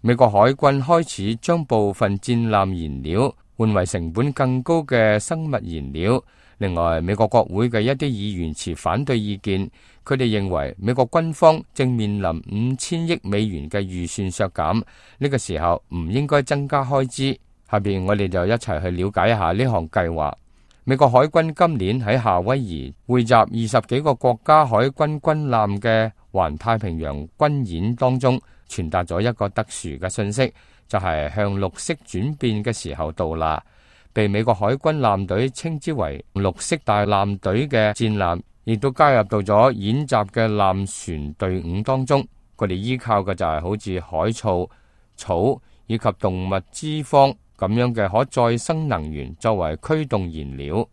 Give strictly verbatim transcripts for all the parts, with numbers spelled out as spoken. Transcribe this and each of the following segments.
美國海軍開始將部分戰艦燃料換為成本更高嘅生物燃料。另外，美國國會嘅一啲議員持反對意見，佢哋認為美國軍方正面臨五千億美元嘅預算削減，呢個時候唔應該增加開支。下邊我哋就一齊去了解一下呢項計劃。美國海軍今年喺夏威夷匯集二十幾個國家海軍軍艦嘅環太平洋軍演當中，傳達咗一個特殊嘅信息，就係向綠色轉變嘅時候到啦。被美國海軍艦隊稱之為綠色大艦隊嘅戰艦，亦都加入到咗演習嘅艦船隊伍當中。佢哋依靠嘅就係好似海草、草以及動物脂肪咁樣嘅可再生能源作為驅動燃料。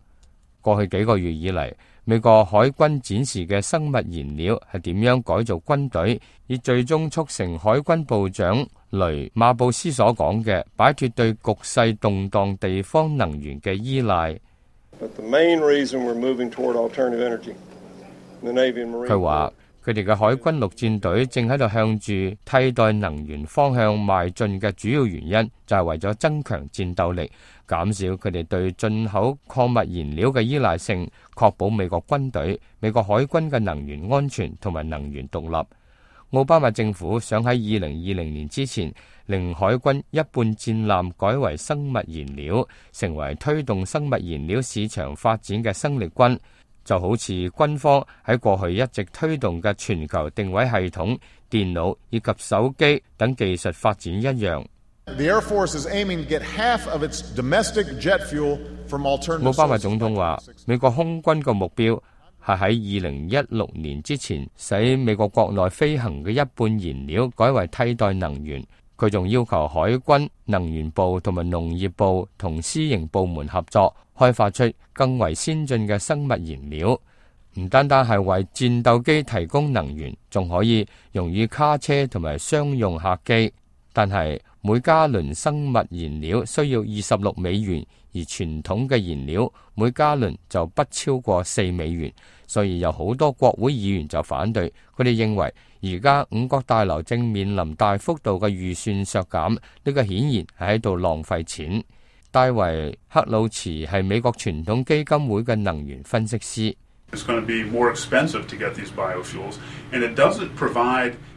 過去幾個月以嚟，美國海軍展示嘅生物燃料係點樣改造軍隊，以最終促成海軍部長雷馬布斯所講嘅擺脫對局勢動盪地方能源嘅依賴。佢話佢哋嘅海軍陸戰隊正喺度向住替代能源方向邁進嘅主要原因，就係為咗增強戰鬥力，減少佢哋對進口礦物燃料嘅依賴性，確保美國軍隊、美國海軍嘅能源安全同埋能源獨立。奧巴馬政府想喺二零二零年之前，令海軍一半戰艦改為生物燃料，成為推動生物燃料市場發展嘅生力軍。就好似軍方喺過去一直推動嘅全球定位系統、電腦以及手機等技術發展一樣。奧巴馬總統話，美國空軍嘅目標係喺二零一六年之前，使美國國內飛行嘅一半燃料改為替代能源。佢仲要求海軍、能源部同埋農業部同私營部門合作，開發出更為先進嘅生物燃料。唔單單係為戰鬥機提供能源，仲可以用於卡車同埋商用客機。但係每加侖生物燃料需要二十六美元，而傳統嘅燃料每加侖就不超過四美元。所以有好多國會議員就反對，佢哋認為而家五角大樓正面臨大幅度嘅預算削減，呢個顯然係喺度浪費錢。戴維克魯茨係美國傳統基金會嘅能源分析師。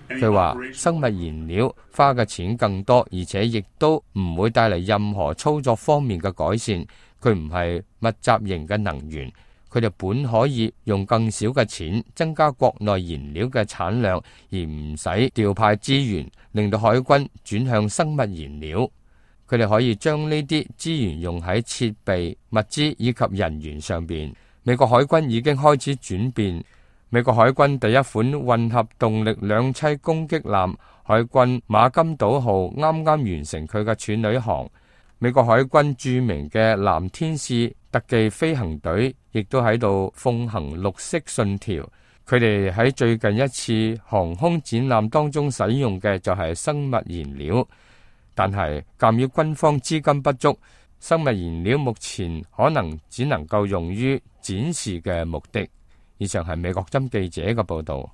佢話生物燃料花嘅錢更多，而且亦都唔會帶嚟任何操作方面嘅改善。佢唔係密集型嘅能源。佢哋本可以用更少嘅錢增加國內燃料嘅產量，而唔使調派資源，令到海軍轉向生物燃料。佢哋可以將呢啲資源用喺設備、物資以及人員上邊。美國海軍已經開始轉變。美國海軍第一款混合動力兩棲攻擊艦海軍馬金島號啱啱完成佢嘅處女航。美國海軍著名嘅藍天使特技飛行隊亦都喺度奉行綠色信條。佢哋喺最近一次航空展覽當中使用嘅就係生物燃料，但係鑑於軍方資金不足，生物燃料目前可能只能夠用於展示嘅目的。以上係美國針記者嘅報道。